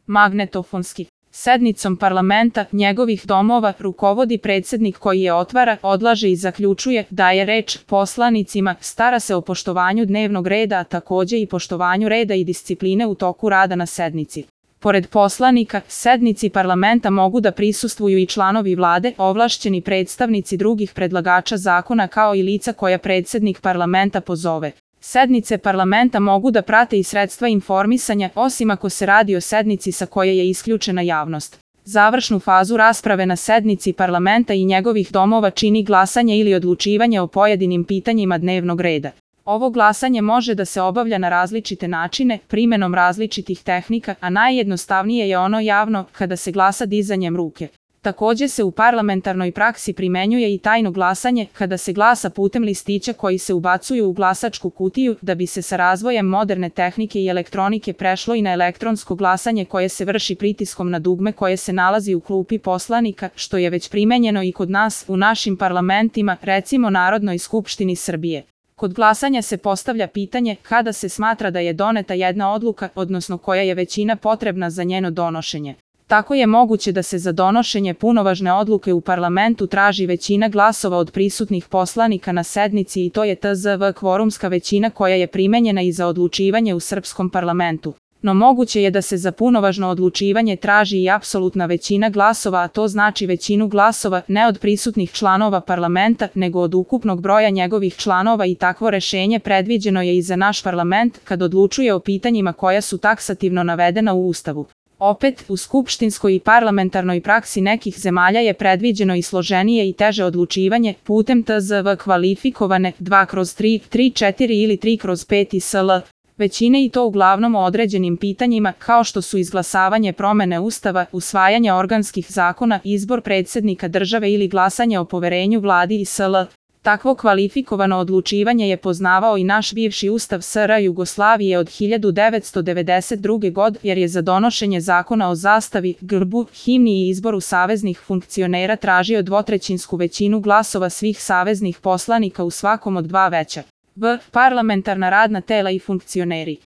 Magnetofonski. Sednicom parlamenta, njegovih domova, rukovodi predsjednik koji je otvara, odlaže i zaključuje, daje reč poslanicima, stara se o poštovanju dnevnog reda, a takođe i poštovanju reda i discipline u toku rada na sednici. Pored poslanika, sednici parlamenta mogu da prisustvuju i članovi vlade, ovlašćeni predstavnici drugih predlagača zakona kao i lica koja predsjednik parlamenta pozove. Sednice parlamenta mogu da prate i sredstva informisanja, osim ako se radi o sednici sa koje je isključena javnost. Završnu fazu rasprave na sednici parlamenta i njegovih domova čini glasanje ili odlučivanje o pojedinim pitanjima dnevnog reda. Ovo glasanje može da se obavlja na različite načine, primenom različitih tehnika, a najjednostavnije je ono javno, kada se glasa dizanjem ruke. Takođe se u parlamentarnoj praksi primenjuje i tajno glasanje, kada se glasa putem listića koji se ubacuju u glasačku kutiju, da bi se sa razvojem moderne tehnike i elektronike prešlo i na elektronsko glasanje koje se vrši pritiskom na dugme koje se nalazi u klupi poslanika, što je već primenjeno i kod nas, u našim parlamentima, recimo Narodnoj skupštini Srbije. Kod glasanja se postavlja pitanje kada se smatra da je doneta jedna odluka, odnosno koja je većina potrebna za njeno donošenje. Tako je moguće da se za donošenje punovažne odluke u parlamentu traži većina glasova od prisutnih poslanika na sednici i to je tzv. Kvorumska većina koja je primenjena i za odlučivanje u srpskom parlamentu. No moguće je da se za punovažno odlučivanje traži i apsolutna većina glasova, a to znači većinu glasova ne od prisutnih članova parlamenta, nego od ukupnog broja njegovih članova i takvo rešenje predviđeno je i za naš parlament kad odlučuje o pitanjima koja su taksativno navedena u Ustavu. Opet, u skupštinskoj i parlamentarnoj praksi nekih zemalja je predviđeno i složenije i teže odlučivanje putem tzv. Kvalifikovane 2/3, 3/4 ili 3/5 i sl. većine i to uglavnom o određenim pitanjima kao što su izglasavanje promene Ustava, usvajanje organskih zakona, izbor predsjednika države ili glasanje o poverenju vladi i sl. Takvo kvalifikovano odlučivanje je poznavao i naš bivši Ustav SR Jugoslavije od 1992. godine jer je za donošenje zakona o zastavi, grbu, himni i izboru saveznih funkcionera tražio dvotrećinsku većinu glasova svih saveznih poslanika u svakom od dva veća parlamentarna radna tela i funkcioneri.